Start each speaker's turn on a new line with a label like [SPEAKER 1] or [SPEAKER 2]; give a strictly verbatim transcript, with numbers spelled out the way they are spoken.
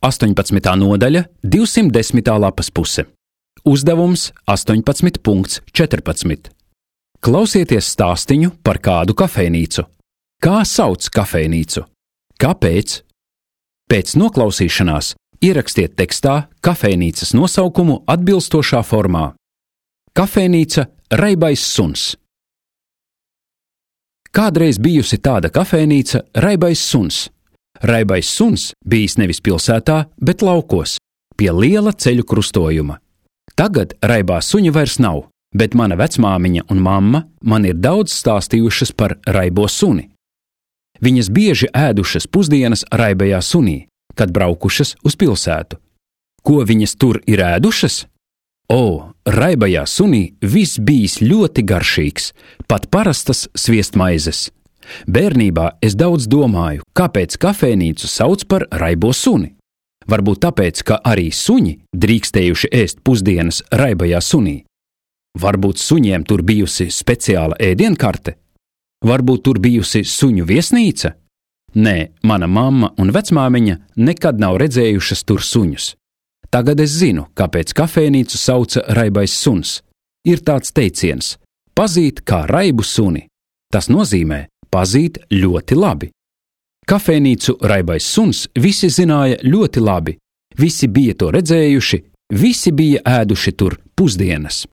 [SPEAKER 1] astoņpadsmitā nodaļa, divsimt desmitā lapas puse. Uzdevums astoņpadsmit punkts četrpadsmit. Klausieties stāstiņu par kādu kafejnīcu. Kā sauc kafejnīcu? Kāpēc? Pēc noklausīšanās ierakstiet tekstā kafejnīcas nosaukumu atbilstošā formā. Kafejnīca Raibais suns. Kādreiz bijusi tāda kafejnīca Raibais suns. Raibais suns bijis nevis pilsētā, bet laukos, pie liela ceļu krustojuma. Tagad raibā suņa vairs nav, bet mana vecmāmiņa un mamma man ir daudz stāstījušas par raibo suni. Viņas bieži ēdušas pusdienas raibajā sunī, kad braukušas uz pilsētu. Ko viņas tur ir ēdušas? O, raibajā sunī viss bijis ļoti garšīgs, pat parastas sviestmaizes. Bērnībā es daudz domāju, kāpēc kafejnīcu sauc par raibo suni. Varbūt tāpēc, ka arī suņi drīkstējuši ēst pusdienas raibajā sunī. Varbūt suņiem tur bijusi speciāla ēdienkarte? Varbūt tur bijusi suņu viesnīca? Nē, mana mamma un vecmāmiņa nekad nav redzējušas tur suņus. Tagad es zinu, kāpēc kafejnīcu sauca Raibais suns. Ir tāds teiciens – pazīt kā raibu suni. Tas nozīmē pazīt ļoti labi. Kafejnīcu Raibais suns visi zināja ļoti labi. Visi bija to redzējuši, visi bija ēduši tur pusdienas.